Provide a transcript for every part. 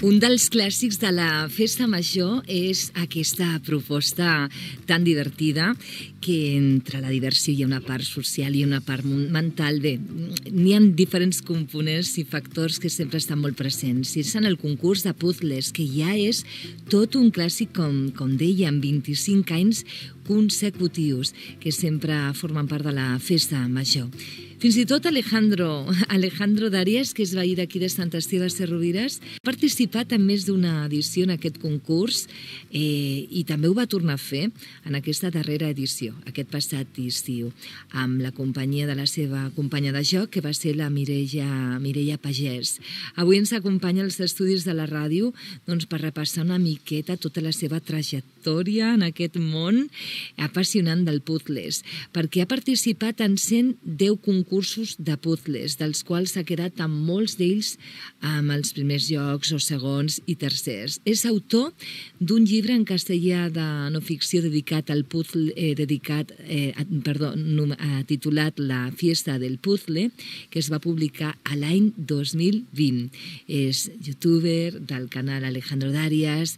Un dels clàssics de la festa major és aquesta proposta tan divertida que entre la diversió hi ha una part social i una part mental. Bé, n'hi ha diferents components i factors que sempre estan molt presents. Si és en el concurs de puzzles, que ja és tot un clàssic, com deia, amb 25 anys consecutius, que sempre formen part de la festa major. Fins i tot Alejandro Darias, que és veí d'aquí de Sant Esteve Sesrovires, ha participat en més d'una edició en aquest concurs i també ho va tornar a fer en aquesta darrera edició, aquest passat estiu, amb la companyia de la seva companya de joc, que va ser la Mireia Pagès. Avui ens acompanya als estudis de la ràdio per repassar una miqueta tota la seva trajectòria en aquest món apassionant del puzzles, perquè ha participat en 110 concursos de puzzles, dels quals s'ha quedat amb molts d'ells amb els primers llocs o segons i tercers. És autor d'un llibre en castellà de no ficció dedicat al puzzle, titulat La fiesta del puzzle, que es va publicar a l'any 2020. És youtuber del canal Alejandro Darias,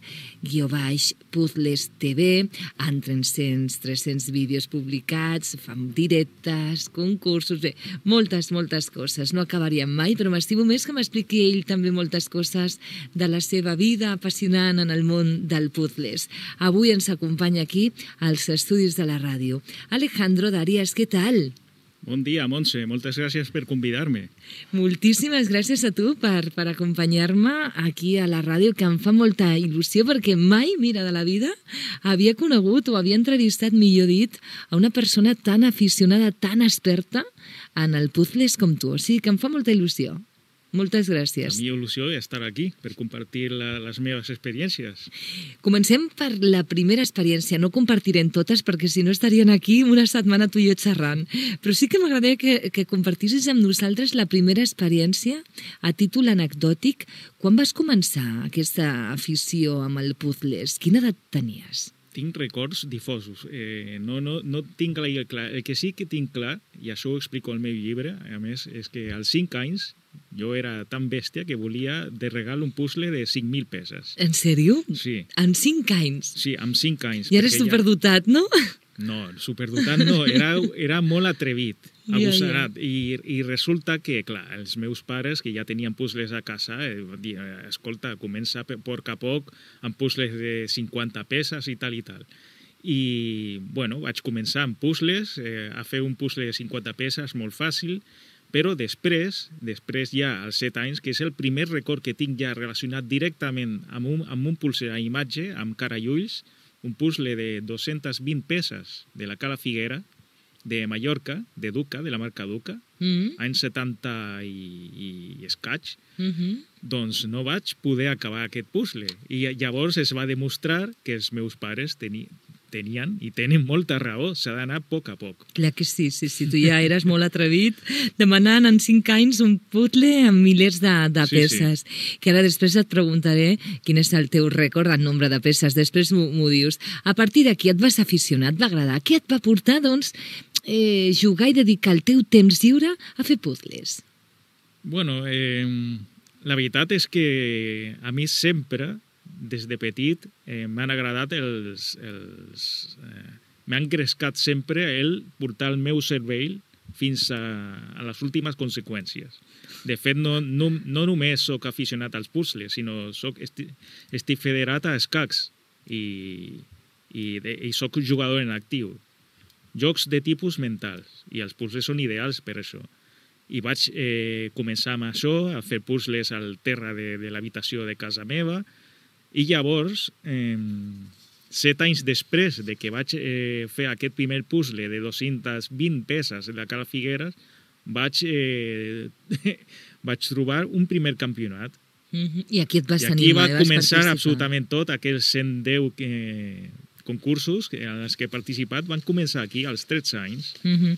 _Puzzles TV, amb 300 vídeos publicats, fan directes, concursos, bé, moltes coses. No acabaríem mai, però m'estimo més que m'expliqui ell també moltes coses de la seva vida apassionant en el món del puzzles. Avui ens acompanya aquí als estudis de la ràdio. Alejandro Darias, què tal? Bon dia, Montse. Moltes gràcies per convidar-me. Moltíssimes gràcies a tu per acompanyar-me aquí a la ràdio, que em fa molta il·lusió, perquè mai, mira, de la vida, havia conegut o havia entrevistat, millor dit, a una persona tan aficionada, tan experta en el puzzles com tu. O sigui que em fa molta il·lusió. Moltes gràcies. La meva il·lusió és estar aquí per compartir les meves experiències. Comencem per la primera experiència. No compartirem totes perquè si no estarien aquí una setmana tu i jo xerrant. Però sí que m'agradaria que compartissis amb nosaltres la primera experiència a títol anecdòtic. Quan vas començar aquesta afició amb el puzzles? Quina edat tenies? Tinc records difosos. No tinc clar. El que sí que tinc clar, i això ho explico al meu llibre, a més, és que als 5 anys jo era tan bèstia que volia de regal un puzzle de 5.000 peces. En sèrio? Sí. En 5 anys? Sí, amb 5 anys. I eres superdotat, no? No, superdotat no. Era molt atrevit, agosarat. I resulta que, clar, els meus pares, que ja tenien puzzles a casa, escolta, comença a poc a poc amb puzzles de 50 peces i tal. I, bueno, vaig començar amb puzzles, a fer un puzzle de 50 peces molt fàcil, però després ja als 7 anys, que és el primer record que tinc ja relacionat directament amb un puzzle a imatge, amb cara i ulls, un puzzle de 220 peces de la Cala Figuera, de Mallorca, de Duca, de la marca Duca, anys 70 i escaig, doncs no vaig poder acabar aquest puzzle. I llavors es va demostrar que els meus pares tenien i tenen molta raó, s'ha d'anar a poc. Clar que sí, tu ja eres molt atrevit demanant en 5 anys un puzzle amb milers de peces. Sí. Que ara després et preguntaré quin és el teu rècord en nombre de peces, després m'ho dius. A partir d'aquí et vas aficionar, et va agradar. Què et va portar, doncs, jugar i dedicar el teu temps lliure a fer puzzles? Bueno, la veritat és que a mi sempre, des de petit, m'han agradat m'han engrescat sempre el portar el meu cervell fins a les últimes conseqüències. De fet, no només soc aficionat als puzzles, sinó estic federat a escacs i soc jugador en actiu. Jocs de tipus mentals, i els puzzles són ideals per això. I vaig començar amb això, a fer puzzles al terra de l'habitació de casa meva, i llavors, 7 anys després de que vaig fer aquest primer puzzle de 220 peces de la Cala Figueres, vaig trobar un primer campionat. I aquí et vas animar. I aquí va començar absolutament tot, aquells 110 concursos en els que he participat van començar aquí als 13 anys.